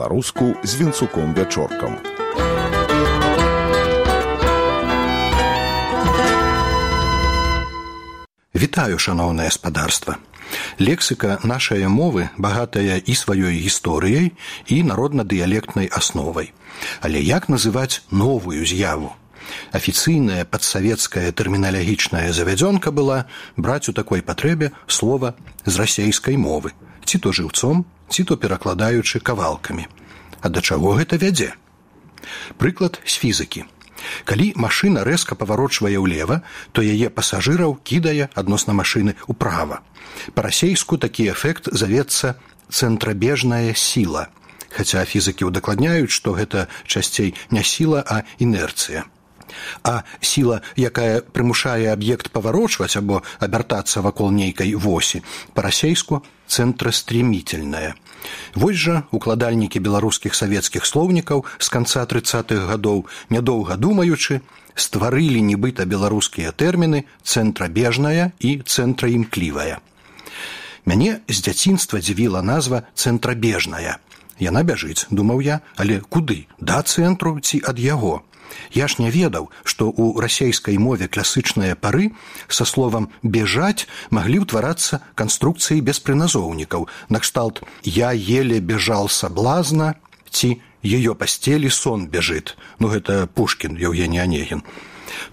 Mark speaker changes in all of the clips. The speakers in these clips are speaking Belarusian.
Speaker 1: па-беларуску з Вінцуком Вячоркам.
Speaker 2: Вітаю, шаноўнае спадарства. Лексіка нашай мовы багатая і сваёй гісторыяй, і народна-дыялектнай асновай. Але як называць новую з'яву? Афіцыйная падсавецкая тэрміналагічная завядзёнка была браць у такой патрэбе слова з расейскай мовы, ці то жыўцом, ці то перакладаючы кавалкамі. А да чаго гэта вядзе? Прыклад з фізікі. Калі машына рэзка паварочвае ўлева, то яе пасажыраў кідае адносна машыны ўправа. Па-расейску такі эфект завецца цэнтрабежная сіла, хаця фізікі ўдакладняюць, што гэта часцей не сіла, а інерцыя. А сіла, якая прымушае аб'ект паварочваць або абяртацца вакол нейкай восі, па-расейску цэнтрастрэмітельная. Вось жа укладальнікі беларускіх савецкіх слоўнікаў з канца 30-х гадоў, нядоўга думаючы, стварылі нібыта беларускія тэрміны цэнтрабежная і цэнтраімклівая. Мяне з дзяцінства дзівіла назва цэнтрабежная. Яна бяжыць, думаў я, але куды? Да цэнтру ці ад яго? Я ж не ведаў, што ў расейскай мове класычныя пары са словам «бежаць» маглі ўтварацца канструкцыі без прыназоўнікаў, накшталт «я еле бежал соблазна» ці «её постели сон бежит». Ну, гэта Пушкін, Евгений Онегин.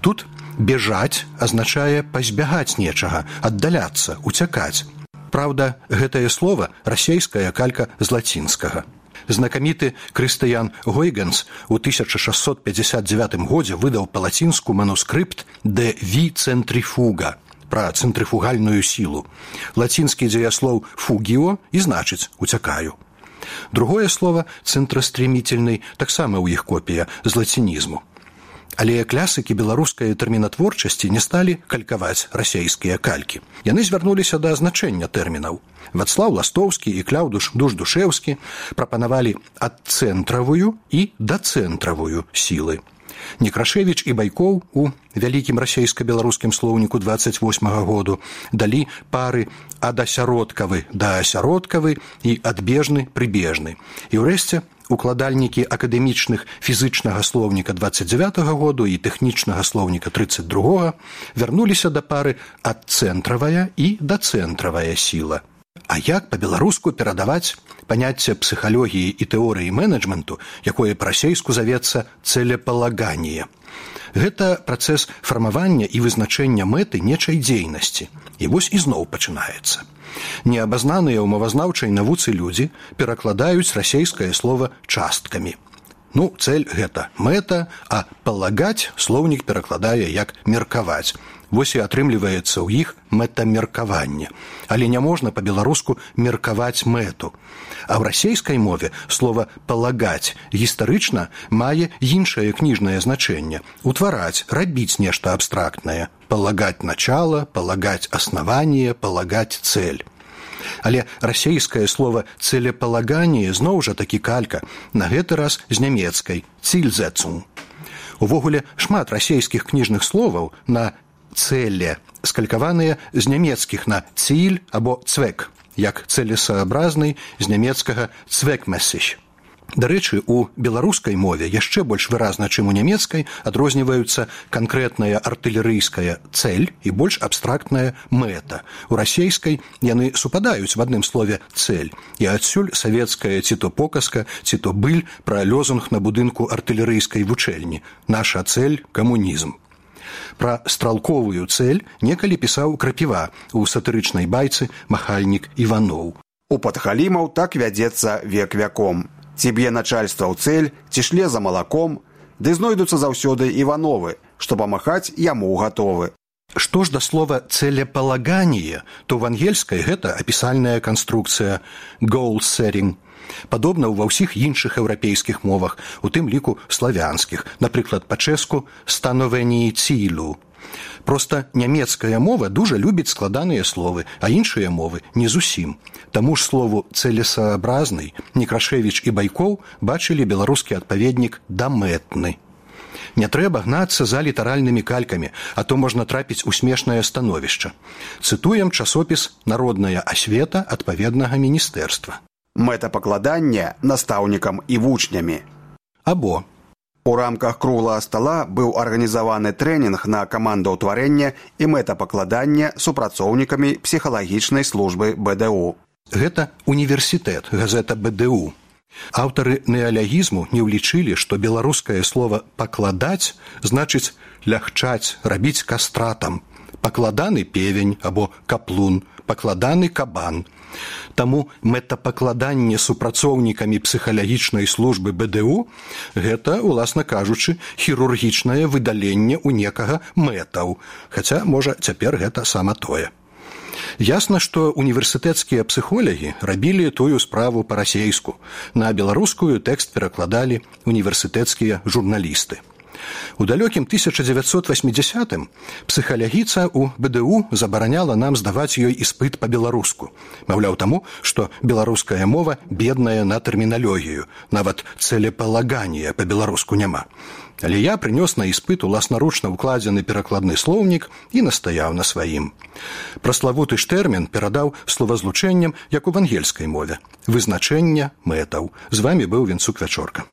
Speaker 2: Тут «бежаць» азначае пазбягаць нечага, аддаляцца, уцякаць. Праўда, гэтае слова расейская калька з лацінскага. Знакаміты Крыстыян Гойгенс у 1659 годзе выдаў па-лацінску манускрыпт «De vi centrifuga» пра цэнтрыфугальную сілу. Лацінскі дзеяслоў «fugio» і значыць «уцякаю». Другое слова «цэнтрастрэмітельны» таксама ў іх копія з лацінізму. Але клясыкі беларускай тэрмінатворчасці не сталі калькаваць расейскія калькі. Яны звярнуліся да азначэння тэрмінаў. Вацлаў Ластоўскі і Кляўдуш Душдушеўскі прапанавалі адцэнтравую і дацэнтравую сілы. Некрашевіч і Байкоў у вялікім расейска-беларускім слоўніку 28-го году далі пары адасяродкавы да асяродкавы і адбежны-прыбежны. І ўрэшце укладальнікі акадэмічных фізычнага слоўніка 29-го году і тэхнічнага слоўніка 32-го вярнуліся да пары адцэнтравая і дацэнтравая сіла. А як па-беларуску перадаваць паняцце псіхалогіі і тэорыі менеджменту, якое па-расейску завецца целепалаганне? Гэта працэс фармавання і вызначэння мэты нечай дзейнасці. І вось ізноў пачынаецца. Неабазнаныя ў мовазнаўчай навуцы людзі перакладаюць расейскае слова часткамі. Ну, цэль гэта мэта, а палагаць слоўнік перакладае як меркаваць. Вось і атрымліваецца ў іх мэтамеркаванне. Але не можна па-беларуску меркаваць мэту. А ў расейскай мове слова «палагаць» гістарычна мае іншае кніжнае значэнне – утвараць, рабіць нешта абстрактнае. Палагаць начало, палагаць аснаванне, палагаць цэль. Але расейскае слова «целепалаганне» зноў жа такі калька, на гэты раз з нямецкай «цільзэцун». Увогуле, шмат расейскіх кніжных словаў на «цэле» скалькаваныя з нямецкіх на «ціль» або «цвек», як «цэлесаабразны» з нямецкага «цвекмэссіч». Дарэчы, у беларускай мове яшчэ больш выразна, чым у нямецкай, адрозніваюцца канкрэтная артылерыйская цэль і больш абстрактная мэта. У расейскай яны супадаюць в адным слове «цэль», і адсюль савецкая ці то показка, ці то быль пра лёзунг на будынку артылерыйскай вучэльні «Наша цэль – камунізм». Пра стралковую цэль некалі пісаў Крапіва у сатырычнай байцы «Махальнік Іваноў».
Speaker 3: У падхалімаў так вядзецца век вяком. Ці б'е начальства ў цэль, ці шле за малаком, ды знойдуцца заўсёды Івановы, што памахаць яму гатовы.
Speaker 2: Што ж да слова «целепалаганне», то в ангельскай гэта апісальная канструкцыя «goal setting». Падобна ва ўсіх іншых еўрапейскіх мовах, у тым ліку славянскіх, напрыклад, па-чэску «становенні цілю». Проста нямецкая мова дужа любіць складаныя словы, а іншыя мовы не зусім. Таму ж слову «цэлесаабразны» Некрашевіч і Байкоў бачылі беларускі адпаведнік «дамэтны». Не трэба гнацца за літаральнымі калькамі, а то можна трапіць у смешнае становішча. Цытуем часопіс «Народная асвета» адпаведнага міністэрства.
Speaker 3: Мэтапакладанне настаўнікам і вучнямі.
Speaker 2: Або
Speaker 3: У рамках круглага стала быў арганізаваны трэнінг на камандаўтварэнне і мэтапакладанне супрацоўнікамі псіхалагічнай службы БДУ.
Speaker 2: гэта універсітэт, газета БДУ. Аўтары неалягізму не ўлічылі, што беларускае слова «пакладаць» значыць лягчаць, рабіць кастратам. Пакладаны певень або каплун, пакладаны кабан. Таму мэтапакладанне супрацоўнікамі псіхалагічнай службы БДУ – гэта, уласна кажучы, хірургічнае выдаленне ў некага мэтаў, хаця, можа, цяпер гэта сама тое. Ясна, што універсітэцкія псіхолагі рабілі тую справу па-расейску. На беларускую тэкст перакладалі універсітэцкія журналісты. У далёкім 1980-м псіхалагіца ў БДУ забараняла нам здаваць ёй іспыт па-беларуску. Маўляў таму, што беларуская мова бедная на тэрміналогію, нават цэлепалагання па-беларуску няма. Але я прынёс на іспыт уласнаручна укладзены перакладны слоўнік і настаяў на сваім. Праславуты ж тэрмін перадаў словазлучэннем, як у ангельскай мове. Вызначэнне мэтаў. З вамі быў Венцук Вячорка.